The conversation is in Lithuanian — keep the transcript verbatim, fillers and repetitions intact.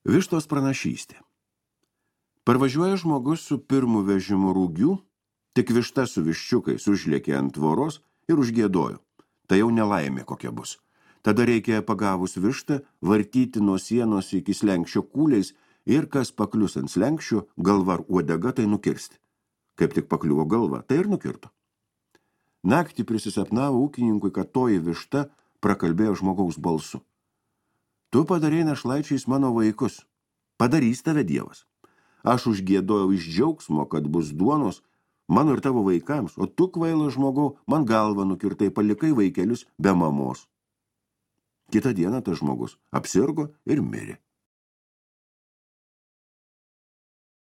Vištos pranašystė. Parvažiuoja žmogus su pirmu vežimu rūgių, tik višta su viščiukais užlėkė ant tvoros ir užgiedojo. Tai jau nelaimė kokia bus. Tada reikia pagavus vištą vartyti nuo sienos iki slenkščio kūliais ir kas paklius ant slenkščio, galva ar uodega, tai nukirsti. Kaip tik pakliuvo galva, tai ir nukirto. Naktį prisisapnavo ūkininkui, kad toji višta prakalbėjo žmogaus balsu. Tu padarei našlaičiais mano vaikus. Padarys tave Dievas. Aš užgiedojau iš džiaugsmo, kad bus duonos mano ir tavo vaikams, o tu, kvailas žmogau, man galvą nukirtai, palikai vaikelius be mamos. Kitą dieną tas žmogus apsirgo ir mirė.